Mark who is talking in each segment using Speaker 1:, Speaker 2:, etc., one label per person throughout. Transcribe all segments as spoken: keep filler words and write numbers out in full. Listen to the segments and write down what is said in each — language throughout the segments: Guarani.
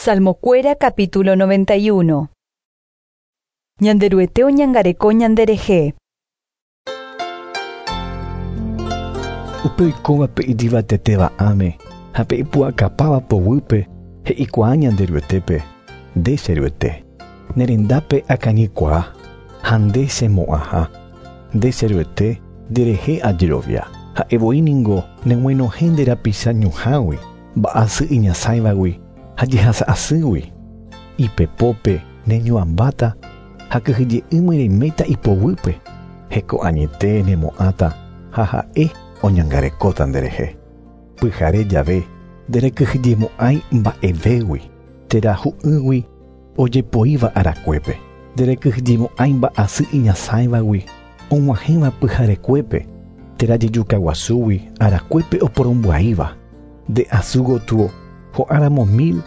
Speaker 1: Salmokuéra capítulo noventa y uno. Ñanderuete oñangareko ñanderehe.
Speaker 2: Upe oikóvape ijyvatetéva ãme ha pe ipu'akapáva poguýpe he'ikuaa Ñanderuetépe, nde che Ruete, ne rendápe akañykuaa ha nde chemo'ãha, nde che Ruete nderehe ajerovia, ha'evoi ningo neg̃uenohẽ nde rapicha ñuhãgui, mba'asy iñasãivagui ha jehasa'asýgui, ipepópe neñuãmbáta ha kyhyje'ỹme reiméta ipoguýpe, heko añete nemo'ãta ha ha'e oñangarekóta nderehe. Pyhare jave nderekyhyjemo'ãi mba'evégui térã hu'ýgui ojepoíva arakuépe, nderekyhyjemo'ãi mba'asy iñasãivagui og̃uahẽva pyharekuépe térã jejukaguasúgui arakuépe oporombya'íva, nde asu gotyo ho'áramo mil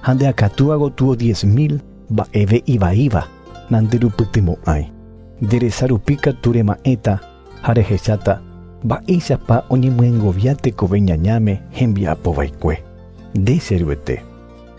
Speaker 2: ha nde akatúa gotyo diez mil mba'eve ivaíva nanderupytymo'ãi, nderesarupi katu rema'ẽta ha rehecháta mba'éichapa oñemyengovia tekove ñañáme hembiapovaikue. Nde che Ruete,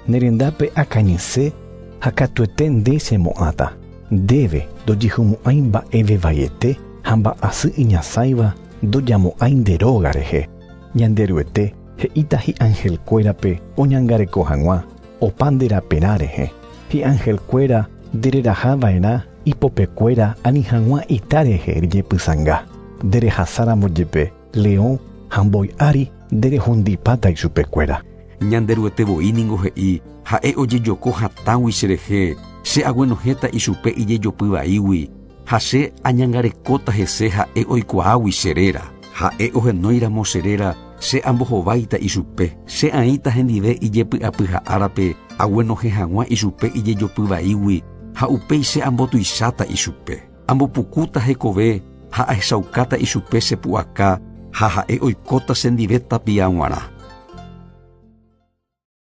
Speaker 2: ne rendápe akañyse ha katuete nde chemo'ãta, ndéve ndojehumo'ãi mba'eve vaiete ha mba'asy iñasãiva ndojamo'ãi nde róga rehe. Ñanderuete he'íta hi'angelkuérape oñangareko hag̃ua opa nde raperã rehe, hi'angelkuéra ndererahava'erã ipopekuéra ani hag̃ua ita rehe rejepysãnga, nderehasáramo jepe leõ ha mbói ári nderehundipáta ichupekuéra.
Speaker 3: Ñanderuete voi ningo he'i ha'e ojejoko hatãgui cherehe, che aguenohẽta ichupe ijejopyvaígui ha che añangarekóta hese ha'e oikuaágui che réra. Ha'e ohenóiramo che réra, che ambohováita ichupe, che aĩta hendive ijepy'apyha'árape aguenohẽ hag̃ua ichupe ijejopyvaígui ha upéi che ambotuicháta ichupe. Ambopukúta hekove ha ahechaukáta ichupe che pu'aka ha ha'e oikóta chendive tapia g̃uarã.